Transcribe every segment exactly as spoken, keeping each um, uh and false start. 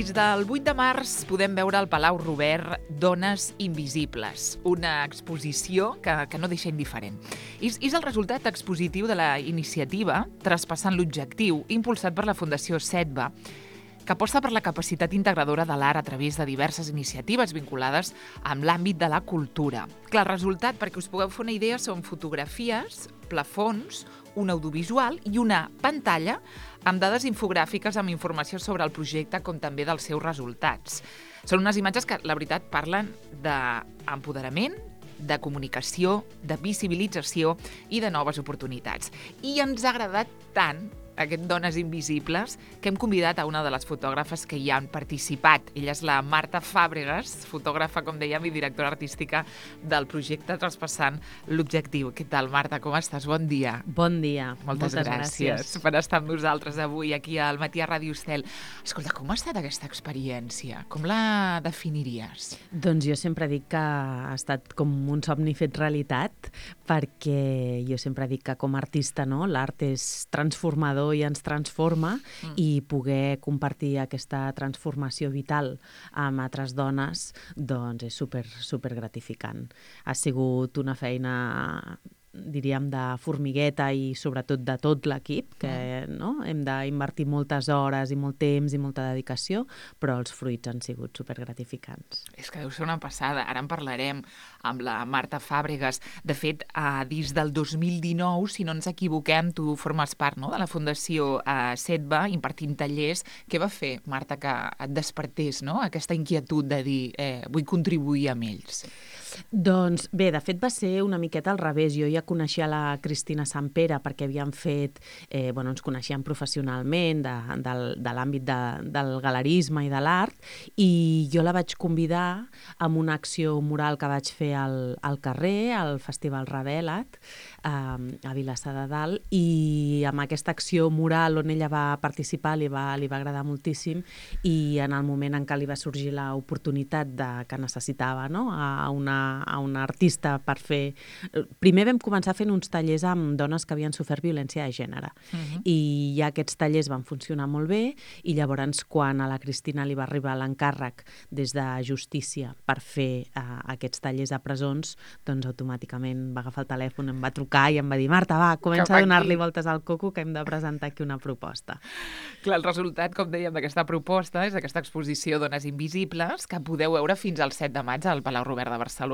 Des del vuit de març podem veure al Palau Robert Dones Invisibles, una exposició que, que no deixa indiferent. És, és el resultat expositiu de la iniciativa Traspassant l'Objectiu, impulsat per la Fundació SEDBA, que aposta per la capacitat integradora de l'art a través de diverses iniciatives vinculades amb l'àmbit de la cultura. Clar, el resultat, perquè us pugueu fer una idea, són fotografies, plafons, un audiovisual i una pantalla amb dades infogràfiques amb informació sobre el projecte com també dels seus resultats. Són unes imatges que, la veritat, parlen d'empoderament, de comunicació, de visibilització i de noves oportunitats. I ens ha agradat tant aquest Dones Invisibles, que hem convidat a una de les fotògrafes que hi han participat. Ella és la Marta Fàbregas, fotògrafa, com dèiem, i directora artística del projecte Traspassant l'Objectiu. Què tal, Marta? Com estàs? Bon dia. Bon dia. Moltes, Moltes gràcies, gràcies per estar amb nosaltres avui aquí al Matí a Ràdio Estel. Escolta, com ha estat aquesta experiència? Com la definiries? Doncs jo sempre dic que ha estat com un somni fet realitat, perquè jo sempre dic que com a artista, no, l'art és transformador i ens transforma, mm. i poder compartir aquesta transformació vital amb altres dones, doncs és super, super gratificant. Ha sigut una feina, diríem, de formigueta i sobretot de tot l'equip, que mm. no? hem d'invertir moltes hores i molt temps i molta dedicació, però els fruits han sigut supergratificants. És que deu ser una passada. Ara en parlarem amb la Marta Fàbregas. De fet, eh, des del dos mil dinou, si no ens equivoquem, tu formes part, no?, de la Fundació eh, SEDBA, impartint tallers. Què va fer, Marta, que et despertés, no?, aquesta inquietud de dir eh, vull contribuir amb ells? Doncs bé, de fet va ser una miqueta al revés. Jo ja coneixia la Cristina Sampere perquè havíem fet, eh, bueno, ens coneixíem professionalment de, de, de l'àmbit de, del galerisme i de l'art, i jo la vaig convidar amb una acció mural que vaig fer al, al carrer, al Festival Revela't, eh, a Vilassar de Dalt, i amb aquesta acció mural on ella va participar li va, li va agradar moltíssim, i en el moment en què li va sorgir l'oportunitat de, que necessitava, no?, a una a una artista per fer... Primer vam començar fent uns tallers amb dones que havien sofert violència de gènere. Uh-huh. I ja aquests tallers van funcionar molt bé, i llavors quan a la Cristina li va arribar l'encàrrec des de Justícia per fer uh, aquests tallers a presons, doncs automàticament va agafar el telèfon, em va trucar i em va dir: Marta, va, comença a donar-li voltes al coco que hem de presentar aquí una proposta. Clar, el resultat, com dèiem, d'aquesta proposta és aquesta exposició Dones Invisibles, que podeu veure fins al set de maig al Palau Robert de Barcelona.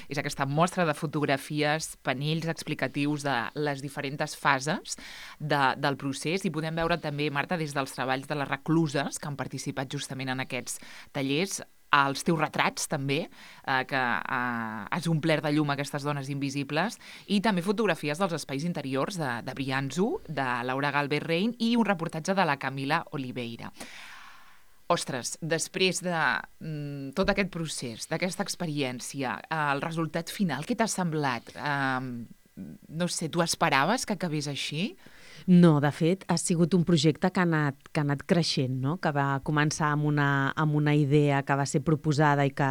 És aquesta mostra de fotografies, panells explicatius de les diferents fases de, del procés, i podem veure també, Marta, des dels treballs de les recluses que han participat justament en aquests tallers, els teus retrats també, eh, que eh, has omplert de llum aquestes dones invisibles, i també fotografies dels espais interiors de, de Brianzo, de Laura Galvez Rein, i un reportatge de la Camila Oliveira. Ostres, després de mm, tot aquest procés, d'aquesta experiència, eh, el resultat final, què t'ha semblat? Eh, no sé, tu esperaves que acabés així? No, de fet, ha sigut un projecte que ha anat, que ha anat creixent, no?, que va començar amb una, amb una idea que va ser proposada i que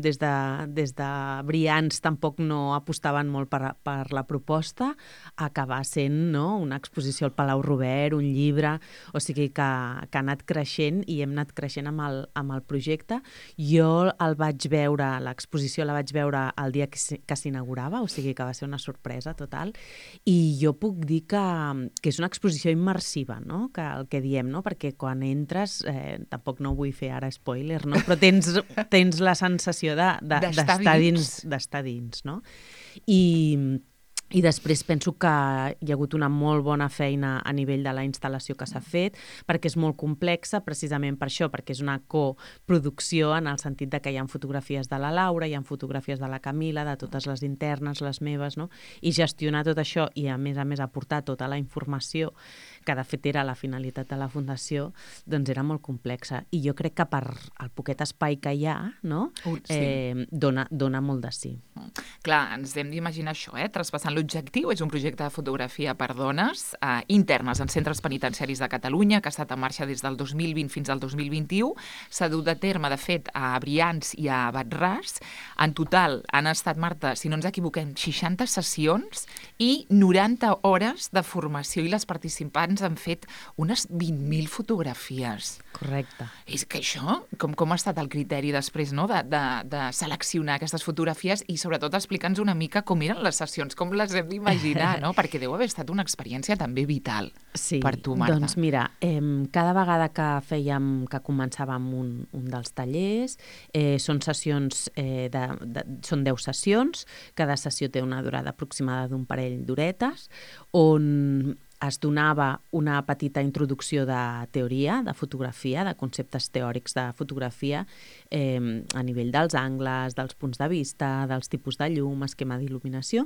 des de, des de Brians tampoc no apostaven molt per, per la proposta, acabar sent, no?, una exposició al Palau Robert, un llibre, o sigui que, que ha anat creixent i hem anat creixent amb el, amb el projecte. Jo el vaig veure, l'exposició la vaig veure el dia que, que s'inaugurava, o sigui que va ser una sorpresa total, i jo puc dir que que és una exposició immersiva, no?, que el que diem, no?, perquè quan entres, eh, tampoc no vull fer ara spoiler, no?, però tens, tens la sensació de, de, d'estar dins, d'estar dins, no? I... I després penso que hi ha hagut una molt bona feina a nivell de la instal·lació que s'ha fet, perquè és molt complexa, precisament per això, perquè és una coproducció en el sentit de que hi ha fotografies de la Laura, hi ha fotografies de la Camila, de totes les internes, les meves, no? I gestionar tot això i, a més a més, aportar tota la informació, que de fet era la finalitat de la Fundació, doncs era molt complexa. I jo crec que per el poquet espai que hi ha, no?, uh, sí. eh, dona, dona molt de sí. Clar, ens hem d'imaginar això, eh? Traspassant l'Objectiu és un projecte de fotografia per dones eh, internes en centres penitenciaris de Catalunya, que ha estat en marxa des del dos mil vint fins al dos mil vint-i-u. S'ha dut a terme, de fet, a Brians i a Bat-ras. En total han estat, Marta, si no ens equivoquem, seixanta sessions i noranta hores de formació, i les participants abans han fet unes vint mil fotografies. Correcte. És que això, com, com ha estat el criteri després, no?, de, de, de seleccionar aquestes fotografies i sobretot explica'ns una mica com eren les sessions, com les hem d'imaginar, no? Perquè deu haver estat una experiència també vital sí, per tu, Marta. Doncs mira, eh, cada vegada que fèiem, que començàvem un, un dels tallers, eh, són sessions, eh, de, de, són deu sessions, cada sessió té una durada aproximada d'un parell d'horetes, on es donava una petita introducció de teoria, de fotografia, de conceptes teòrics de fotografia, eh, a nivell dels angles, dels punts de vista, dels tipus de llum, esquema d'il·luminació.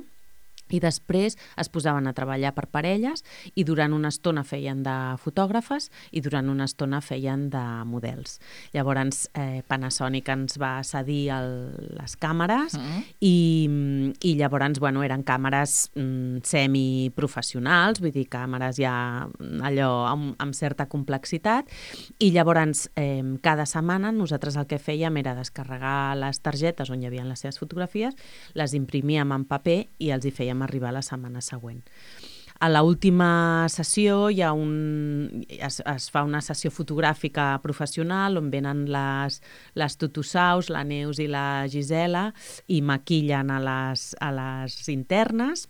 I després es posaven a treballar per parelles i durant una estona feien de fotògrafes i durant una estona feien de models. Llavors, eh, Panasonic ens va cedir el, les càmeres mm. i, i llavors, bueno, eren càmeres mm, semiprofessionals, vull dir, càmeres ja allò amb, amb certa complexitat, i llavors eh, cada setmana nosaltres el que fèiem era descarregar les targetes on hi havia les seves fotografies, les imprimíem en paper i els hi fèiem arribar la setmana següent. A l'última sessió hi ha un, es, es fa una sessió fotogràfica professional on venen les, les tutusaus, la Neus i la Gisela, i maquillen a les, a les internes,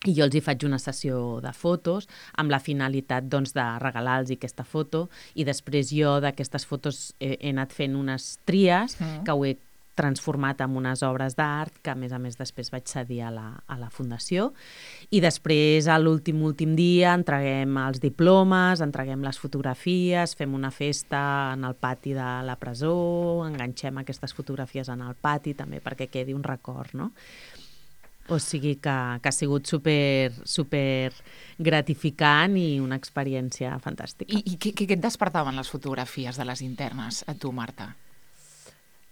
i jo els hi faig una sessió de fotos amb la finalitat doncs, de regalar-los aquesta foto, i després jo d'aquestes fotos he, he anat fent unes tries mm. que ho he transformat en unes obres d'art que, a més a més, després vaig cedir a la, a la Fundació. I després, a l'últim últim dia, entreguem els diplomes, entreguem les fotografies, fem una festa en el pati de la presó, enganxem aquestes fotografies en el pati també perquè quedi un record, no? O sigui que, que ha sigut super, super gratificant i una experiència fantàstica. I, i què, què et despertaven les fotografies de les internes a tu, Marta?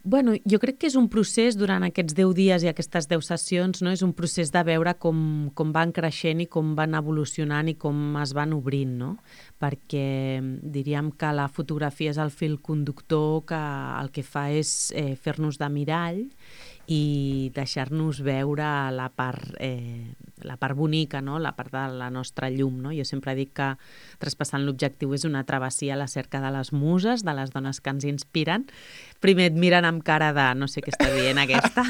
Bueno, jo crec que és un procés durant aquests deu dies i aquestes deu sessions, no? És un procés de veure com, com van creixent i com van evolucionant i com es van obrint, no? Perquè diríem que la fotografia és el fil conductor que el que fa és eh, fer-nos de mirall i deixar-nos veure la part, eh, la part bonica, no? La part de la nostra llum, no? Jo sempre dic que Traspassant l'objectiu és una travessia a la cerca de les muses, de les dones que ens inspiren. Primer et miren amb cara de no sé què està dient aquesta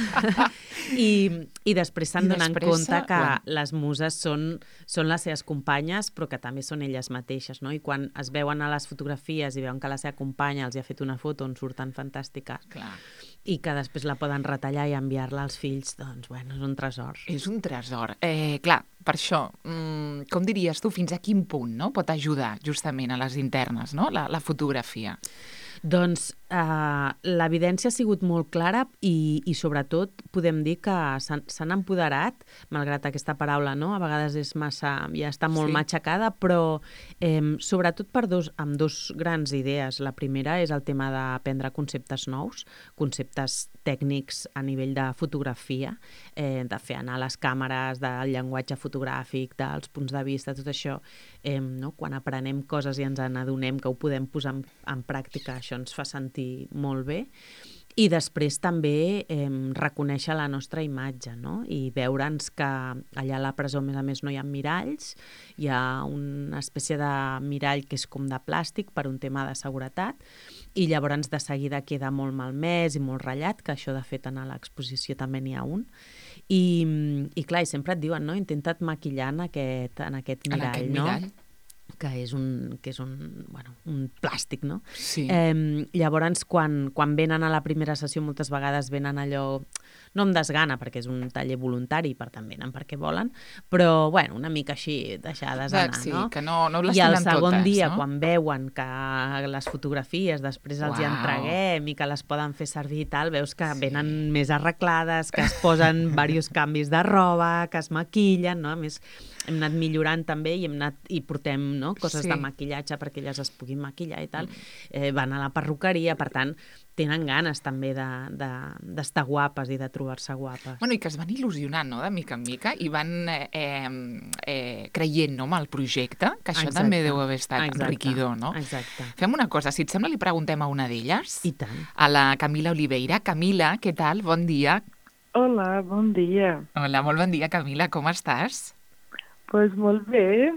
I, i després se'n donen compte que quan... les muses són, són les seves companyes però que també són elles mateixes, no? I quan es veuen a les fotografies i veuen que la seva companya els ha fet una foto on surten fantàstiques Clar. I que després la poden retallar i enviar-la als fills, doncs, bueno, és un tresor. És un tresor. Eh, clar, per això, mmm, com diries tu, fins a quin punt, no?, pot ajudar justament a les internes, no?, la, la fotografia? Doncs eh, l'evidència ha sigut molt clara i, i sobretot podem dir que s'han empoderat, malgrat aquesta paraula, no? A vegades és massa, ja està molt sí. matxacada, però eh, sobretot per dos, amb dos grans idees. La primera és el tema d'aprendre conceptes nous, conceptes tècnics a nivell de fotografia, eh, de fer anar les càmeres, del llenguatge fotogràfic, dels punts de vista, tot això, eh, no? Quan aprenem coses i ens n'adonem que ho podem posar en, en pràctica, això ens fa sentir molt bé. I després també eh, reconèixer la nostra imatge, no? I veure'ns que allà a la presó, a més a més, no hi ha miralls, hi ha una espècie de mirall que és com de plàstic per un tema de seguretat, i llavors de seguida queda molt malmès i molt ratllat, que això de fet a l'exposició també n'hi ha un. I, i clar, i sempre et diuen, no? Intenta't maquillar en aquest, en aquest mirall, en aquest no? mirall. que és un, que és un, bueno, un plàstic, no? Sí. Eh, llavors, quan, quan venen a la primera sessió, moltes vegades venen allò, no amb desgana, perquè és un taller voluntari, per tant venen perquè volen, però, bueno, una mica així, deixades anar, sí, no? que no, no les I el tenen segon totes, dia, no? quan veuen que les fotografies després els hi Uau. entreguem i que les poden fer servir i tal, veus que sí. venen més arreglades, que es posen diversos canvis de roba, que es maquillen, no? A més, hem anat millorant també i hem anat i portem, no, coses sí. de maquillatge perquè elles es puguin maquillar i tal. Eh, van a la perruqueria, per tant, tenen ganes també d'estar de, de, guapes i de trobar-se guapes. Bueno, i que es van il·lusionant, no?, de mica en mica, i van eh, eh, creient, no?, en el projecte, que això Exacte. també deu haver estat Exacte. enriquidor, no? Exacte. Fem una cosa, si et sembla, li preguntem a una d'elles. I tant. A la Camila Oliveira. Camila, què tal? Bon dia. Hola, bon dia. Hola, molt bon dia, Camila. Com estàs? Doncs pues molt bé.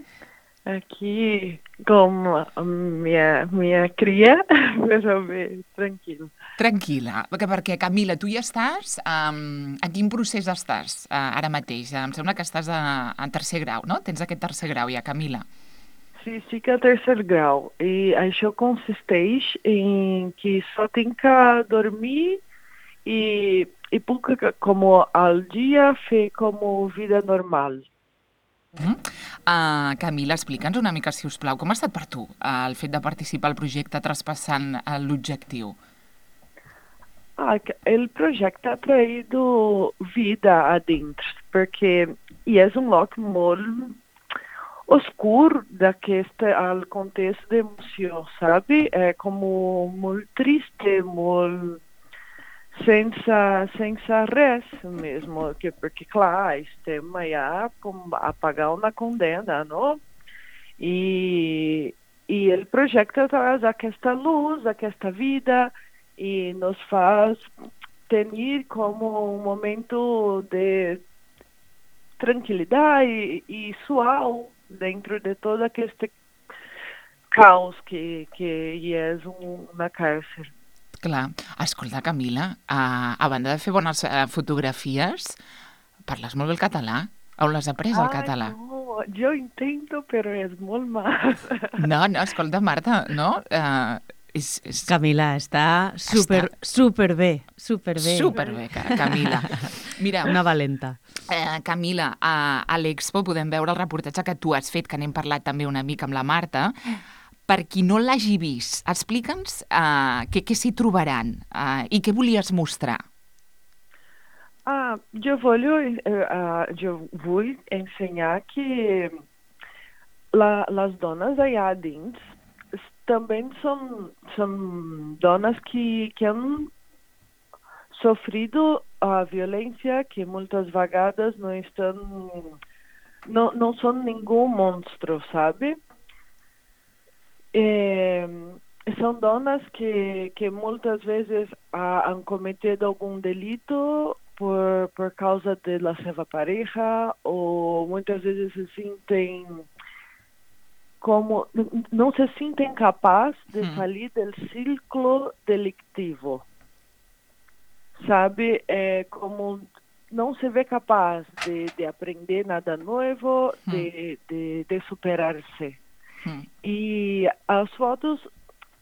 Aqui com a minha, minha cria, però bé, tranquil. Tranquil·la, perquè, perquè Camila, tu ja estàs... Um, en quin procés estàs uh, ara mateix? Em sembla que estàs a, en tercer grau, no? Tens aquest tercer grau ja, Camila. Sí, sí que é terceiro grau. E això consisteix em que só tem que dormir e, e puc, como al dia, fer como vida normal. Mm. Uh, Camila, explica'ns una mica, si us plau, com ha estat per tu uh, el fet de participar al projecte traspassant uh, l'objectiu? Ah, el projeto ha traído vida adentro, porque e é um local muito oscuro daqueste al contexto de emoção, sabe? É como muito triste, muito sense, sense res mesmo, que, porque, claro, estamos já a pagar uma condena, não? E, e o projeto traz aquesta luz, aquesta vida, e nos faz ter como um momento de tranquilidade e, e suave dentro de todo este caos que, que é um, uma cárcel. Clar. Escolta, Camila, a, a banda de fer bones uh, fotografies, parles molt bé el català? On l'has après, el català? No, jo intento, però és molt mal. No, no, escolta, Marta, no? Uh, és, és... Camila, està super, està... super bé, super bé. Super bé, Camila. Mira, una valenta. Eh, Camila, a, a l'Expo podem veure el reportatge que tu has fet, que n'hem parlat també una mica amb la Marta. Per qui no l'hagi vist, explica'ns uh, què, què s'hi trobaran uh, i què volies mostrar. Ah, jo voglio, uh, jo vull ensenyar que la, les dones allà dins també són, són dones que, que han sofrido a violència, que moltes vegades no estan, no, no són ningú monstro, sabe? Eh, são donas que, que muitas vezes ah, han cometido algum delito por, por causa de la sua pareja, ou muitas vezes se sentem como, não se sentem capazes de hum. sair do ciclo delictivo. Sabe, é como não se vê capaz de, de aprender nada novo, hum. de, de, de superar-se. Hum. E as fotos,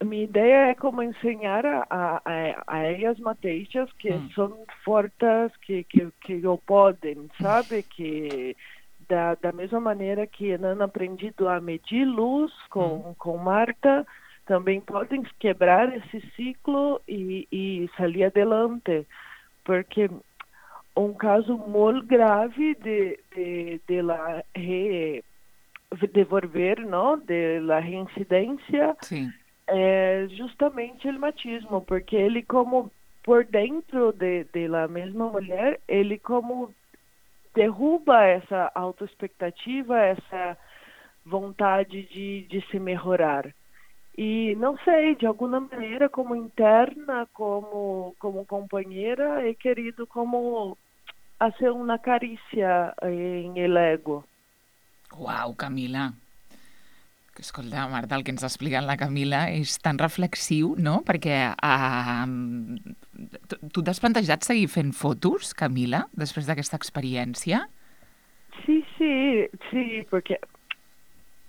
minha ideia é como ensinar a, a, a elas mateixas que hum. são fortes, que, que, que podem, sabe? Que da, da mesma maneira que não aprendido a medir luz com, hum. com Marta, também podem quebrar esse ciclo e, e sair adelante. Porque um caso muito grave de, de, de la re... devolver, não, de la reincidência, Sim. é justamente o machismo, porque ele como por dentro de, de la mesma mulher, ele como derruba essa autoexpectativa, essa vontade de, de se melhorar. E não sei, de alguma maneira, como interna, como como companheira, he querido como fazer uma carícia em el ego. Uau, Camila. Escolta, Marta, el que ens ha explicat la Camila és tan reflexiu, no? Perquè uh, tu t'has plantejat seguir fent fotos, Camila, després d'aquesta experiència? Sí, sí, sí, porque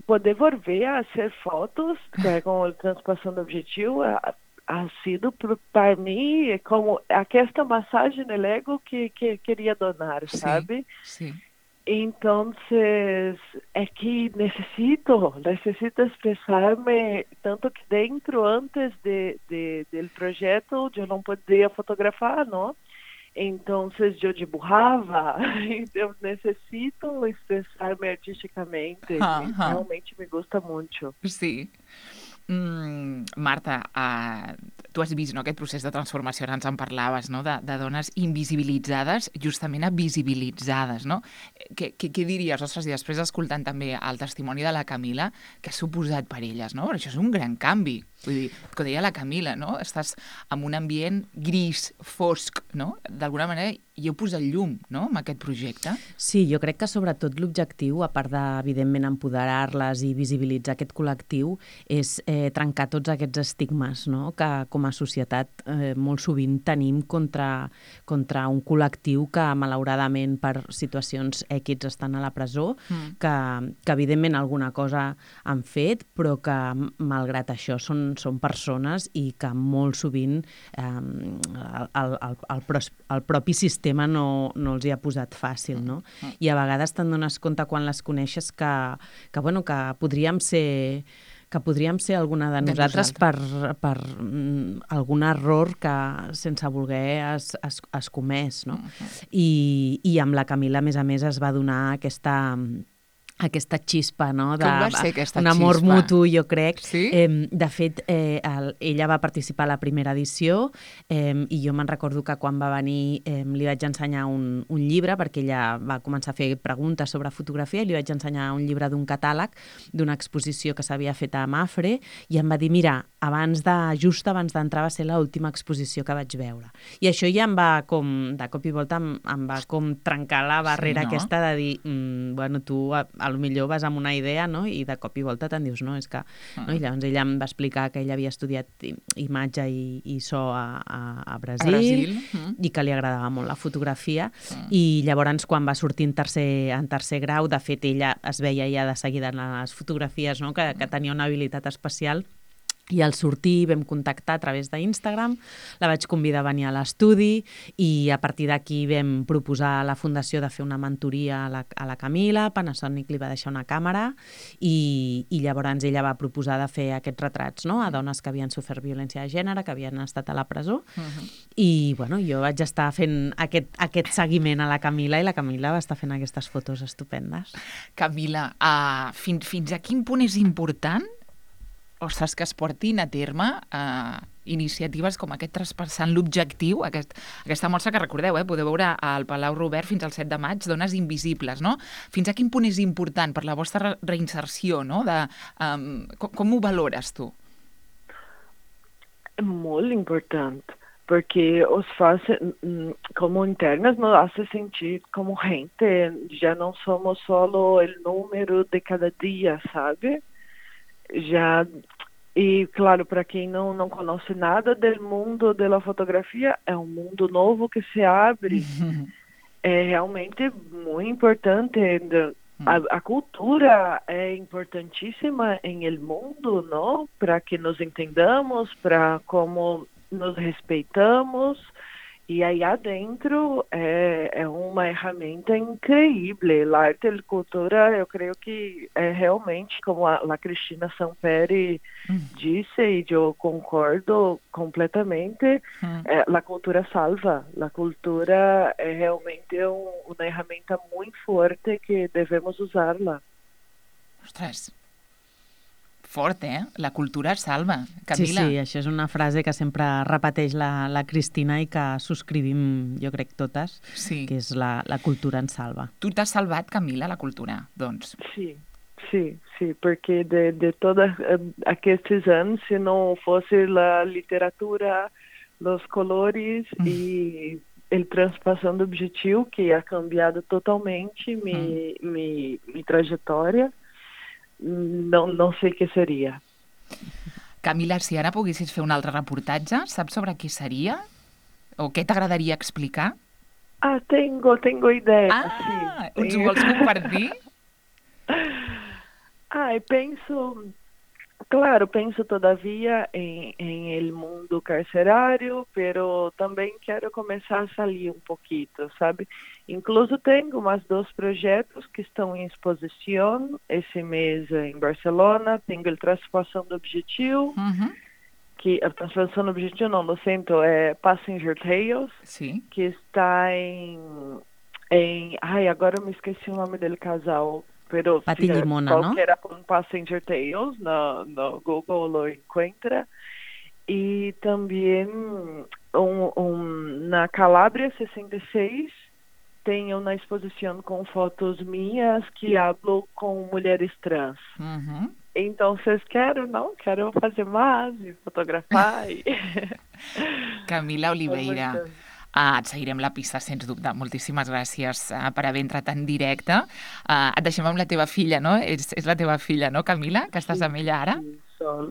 poder volver a hacer fotos é, com o transpassão do objetivo ha, ha sido para mim como aquesta massagem no ego que, que queria donar, sabe? Sí, sí. Entonces, é que necessito, necessito expressar-me tanto que dentro, antes de, de, del projeto, eu não podia fotografar, não? Então, eu dibujava, eu necessito expressar-me artisticamente, uh-huh. Realmente me gusta muito. Sí. Mm, Marta, uh, tu has vist, no, aquest procés de transformació, ara ens en parlaves, no, de, de dones invisibilitzades justament a visibilitzades, no? Què, què, què diries, ostres, i després escoltant també el testimoni de la Camila, que ha suposat per elles, no? Però això és un gran canvi. Vull dir, com deia la Camila, no? Estàs en un ambient gris, fosc, no? D'alguna manera hi heu posat llum, no?, amb aquest projecte. Sí, jo crec que sobretot l'objectiu, a part de, evidentment, empoderar-les i visibilitzar aquest col·lectiu, és eh, trencar tots aquests estigmes, no?, que com a societat eh, molt sovint tenim contra, contra un col·lectiu que, malauradament, per situacions èquids estan a la presó, mm. que, que, evidentment, alguna cosa han fet, però que, malgrat això, són, són persones i que molt sovint eh, el, el, el, el, el propi sistema tema no, no els hi ha posat fàcil, no? I a vegades te'n dones compte quan les coneixes que, que, bueno, que podríem ser que podríem ser alguna de nosaltres, de nosaltres. per, per mm, algun error que sense voler es, es, es comès, no? Uh-huh. I, I amb la Camila, a més a més, es va donar aquesta... aquesta xispa, no? De, Com va ser aquesta un amor xispa? mutu, jo crec. Sí? Eh, de fet, eh, el, ella va participar a la primera edició eh, i jo me'n recordo que quan va venir eh, li vaig ensenyar un, un llibre, perquè ella va començar a fer preguntes sobre fotografia, i li vaig ensenyar un llibre d'un catàleg d'una exposició que s'havia fet a Mafre, i em va dir, mira, abans de, just abans d'entrar va ser l'última exposició que vaig veure. I això ja em va com, de cop i volta, em, em va com trencar la barrera sí, no? aquesta de dir, mm, bueno, tu a, a lo millor vas amb una idea, no?, i de cop i volta te'n dius, no, és que... Uh-huh. No? I llavors ella em va explicar que ella havia estudiat imatge i, i so a, a, a Brasil, a Brasil. Uh-huh. i que li agradava molt la fotografia, uh-huh. i llavors quan va sortir en tercer, en tercer grau, de fet ella es veia ja de seguida en les fotografies, no?, que, que tenia una habilitat especial. I al sortir vam contactar a través d'Instagram, la vaig convidar a venir a l'estudi i a partir d'aquí vam proposar a la Fundació de fer una mentoria a la, a la Camila, Panasonic li va deixar una càmera i, i llavors ella va proposar de fer aquests retrats, no?, a dones que havien sofert violència de gènere, que havien estat a la presó. Uh-huh. I bueno, jo vaig estar fent aquest, aquest seguiment a la Camila i la Camila va estar fent aquestes fotos estupendes. Camila, uh, fins, fins a quin punt és important ostres, que es portin a terme eh, iniciatives com aquest traspassant l'objectiu, aquest, aquesta mostra que recordeu, eh, podeu veure al Palau Robert fins al set de maig, Dones Invisibles, no? Fins a quin punt és important per la vostra reinserció, no? De, um, com, com ho valores tu? Molt important, porque os faz como internas nos hace sentir como gente, já não somos solo el número de cada dia, sabe? Já, e claro, para quem não, não conhece nada do mundo da fotografia, é um mundo novo que se abre. É realmente muito importante. A, a cultura é importantíssima em el mundo, não? Para que nos entendamos, para como nos respeitamos. E aí adentro é, é uma ferramenta incrível. A arte e a cultura, eu creio que é realmente, como a, a Cristina Samperi hum. disse, e eu concordo completamente, hum. é, a cultura salva. A cultura é realmente um, uma ferramenta muito forte que devemos usá-la. Ostres, fort, eh? La cultura salva. Camila. Sí, sí, això és una frase que sempre repeteix la, la Cristina i que subscrivim, jo crec, totes, sí. que és la, la cultura ens salva. Tu t'has salvat, Camila, la cultura, doncs. Sí, sí, sí, perquè de, de todos aquests anys, si no fosse la literatura, los colores mm. e el traspassando objetivo, que ha cambiado totalmente mi, mm. mi, mi trajetória, no, no sé què seria. Camila, si ara poguessis fer un altre reportatge, saps sobre què seria? O què t'agradaria explicar? Ah, tengo, tengo idea. Ah, sí, ens ho vols compartir? Ah, penso, claro, penso todavia em, em el mundo carcerário, pero também quero começar a sair um pouquinho, sabe? Incluso tenho mais dois projetos que estão em exposição esse mês em Barcelona. Tenho o Transpassando Objetivo, uhum. que a Transpassando Objetivo, não, lo siento, é Passenger Tales, Sim. que está em, em... Ai, agora eu me esqueci o nome dele casal. Pero Pati Limona, ¿no? Era com Passenger Tales, no, no Google lo encuentra. E também um, um, na Calabria sessenta e seis tem uma exposição com fotos minhas que hablo com mulheres trans. Uhum. Entonces quero, não? Quero fazer mais e fotografar. I... Camila Oliveira, uh, et seguirem la pista, sens dubte. Moltíssimes gràcies uh, per haver entrat en directe. Uh, et deixem amb la teva filla, no? És, és la teva filla, no, Camila? Que estàs amb ella ara? Sí, sol.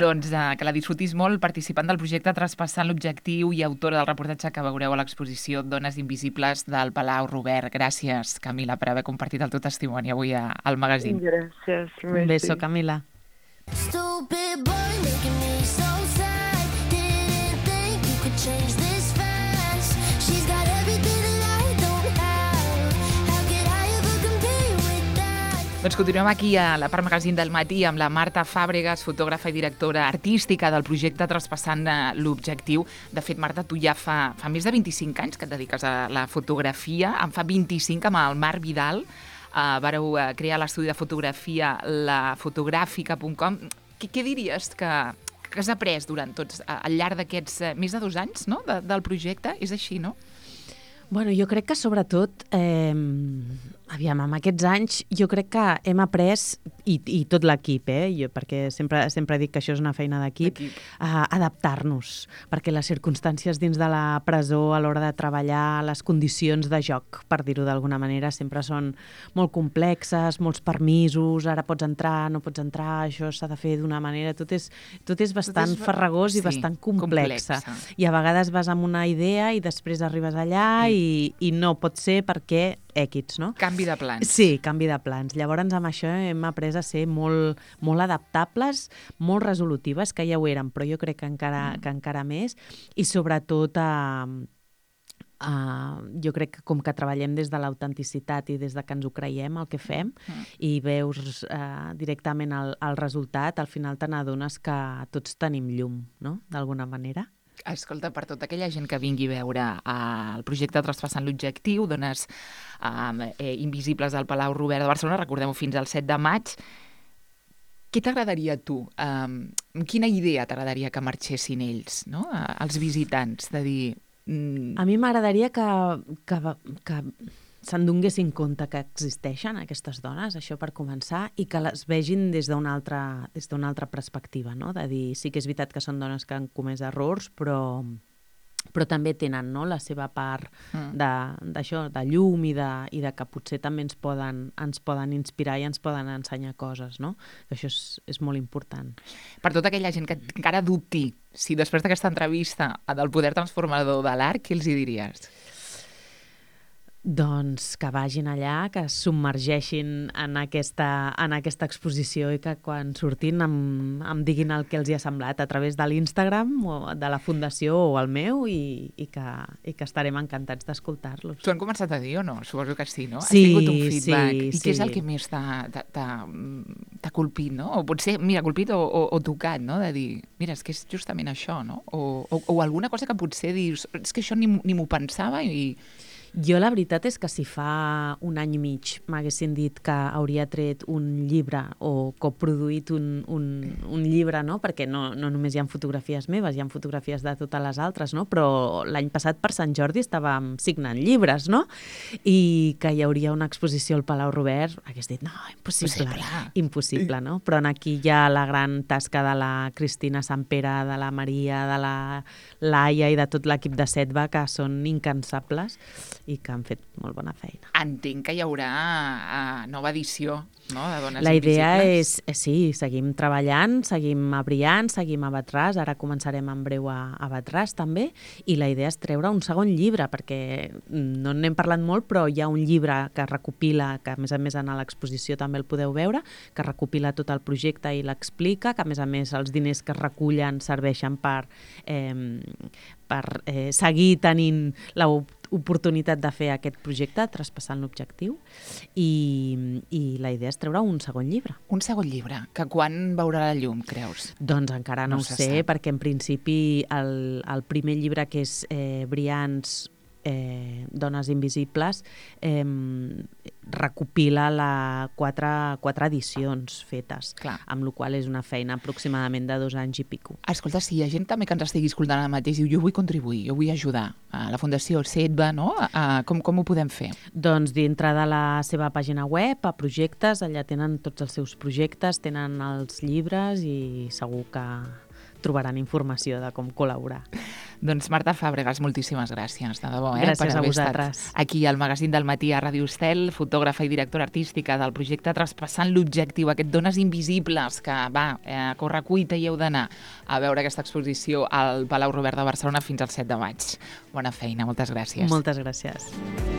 Doncs uh, que la disfrutis molt, participant del projecte Traspassant l'Objectiu i autora del reportatge que veureu a l'exposició Dones Invisibles del Palau Robert. Gràcies, Camila, per haver compartit el teu testimoni avui a, al magazín. Gràcies. Un beso, Camila. Stupid boy making me so sad. Didn't think you could change this fast. She's got everything that I don't have. How could I ever compare with that? Doncs continuem aquí a la part magazín del matí amb la Marta Fàbregas, fotògrafa i directora artística del projecte Traspassant l'Objectiu. De fet, Marta, tu ja fa, fa més de vint-i-cinc anys que et dediques a la fotografia. En fa vint-i-cinc amb el Marc Vidal. Uh, vareu uh, crear l'estudi de fotografia la fotogràfica punt com. Què, què diries que, que has après durant tots, uh, al llarg d'aquests uh, més de dos anys, no?, de, del projecte? És així, no? Bueno, jo crec que sobretot, eh, aviam, amb aquests anys, jo crec que hem après, i, i tot l'equip, eh, jo, perquè sempre, sempre dic que això és una feina d'equip, a adaptar-nos, perquè les circumstàncies dins de la presó a l'hora de treballar, les condicions de joc, per dir-ho d'alguna manera, sempre són molt complexes, molts permisos, ara pots entrar, no pots entrar, això s'ha de fer d'una manera, tot és, tot és bastant tot és, farragós i sí, bastant complexa. complexa. I a vegades vas amb una idea i després arribes allà i I, i no pot ser perquè èquits, no? Canvi de plans. Sí, canvi de plans. Llavors, amb això hem après a ser molt, molt adaptables, molt resolutives, que ja ho érem, però jo crec que encara, mm. que encara més, i sobretot a... Uh, jo crec que com que treballem des de l'autenticitat i des de que ens ho creiem, el que fem, mm. i veus uh, directament el, el resultat, al final te n'adones que tots tenim llum, no?, d'alguna manera. Escolta, per tota aquella gent que vingui a veure uh, el projecte Traspassant l'Objectiu, Dones uh, eh, Invisibles del Palau Robert de Barcelona, recordem-ho fins al set de maig, què t'agradaria a tu? Um, quina idea t'agradaria que marxessin ells, no?, uh, els visitants, de dir... Mm... A mi m'agradaria que, que, que se'n donguessin compte que existeixen aquestes dones, això per començar, i que les vegin des d'una altra, des d'una altra perspectiva, no? De dir, sí que és veritat que són dones que han comès errors, però, però també tenen, no?, la seva part mm. d'això, de, de llum i de, i de que potser també ens poden, ens poden inspirar i ens poden ensenyar coses, no? Això és, és molt important. Per tota aquella gent que encara dubti si després d'aquesta entrevista del poder transformador de l'art, què els hi diries? Doncs que vagin allà, que es submergeixin en aquesta, en aquesta exposició i que quan surtin em, em diguin el que els hi ha semblat a través de l'Instagram o de la Fundació o el meu i, i, que, i que estarem encantats d'escoltar-los. T'ho han començat a dir o no? Suposo que sí, no? Sí, has tingut un feedback. sí, I sí. què és el que més t'ha colpit, no? O potser, mira, colpit o, o, o tocat, no? De dir, mira, és que és justament això, no? O, o, o alguna cosa que potser dius, és que això ni, ni m'ho pensava i... Jo la veritat és que si fa un any i mig m'haguessin dit que hauria tret un llibre o coproduït un, un, un llibre, no? Perquè no, no només hi ha fotografies meves, hi ha fotografies de totes les altres, no? Però l'any passat per Sant Jordi estàvem signant llibres, no? I que hi hauria una exposició al Palau Robert, hagués dit, no, impossible, Possible. impossible, no? Però aquí hi ha la gran tasca de la Cristina Sampere, de la Maria, de la Laia i de tot l'equip de Setva, que són incansables i que han fet molt bona feina. Entenc que hi haurà uh, nova edició, no?, de Dones La idea Invisibles. és, sí, seguim treballant, seguim a Brians, seguim a Batràs, ara començarem en breu a, a Batràs també, i la idea és treure un segon llibre, perquè no n'hem parlat molt, però hi ha un llibre que recopila, que a més a més en l'exposició també el podeu veure, que recopila tot el projecte i l'explica, que a més a més els diners que es recullen serveixen per, eh, per eh, seguir tenint la oportunitat de fer aquest projecte, Traspassant l'Objectiu, i, i la idea és treure un segon llibre. Un segon llibre, que quan veurà la llum, creus? Doncs encara no, no ho sé, sap. Perquè en principi el, el primer llibre, que és eh, Brians, eh, Dones Invisibles, eh, recopila la quatre, quatre edicions fetes, Clar. amb la qual és una feina aproximadament de dos anys i pico. Escolta, si hi ha gent també que ens estigui escoltant ara mateix i diu jo vull contribuir, jo vull ajudar a la Fundació SEDVA, no? A, com, com ho podem fer? Doncs dintre de la seva pàgina web, a projectes, allà tenen tots els seus projectes, tenen els llibres i segur que trobaran informació de com col·laborar. Doncs Marta Fàbregas, moltíssimes gràcies, de debò, eh? Gràcies per a haver vosaltres. estat aquí al Magazín del Matí a Ràdio Estel, fotògrafa i directora artística del projecte Traspassant l'Objectiu, aquest Dones Invisibles, que va, eh, a correcuita hi heu d'anar a veure aquesta exposició al Palau Robert de Barcelona fins al set de maig. Bona feina, moltes gràcies. Moltes gràcies.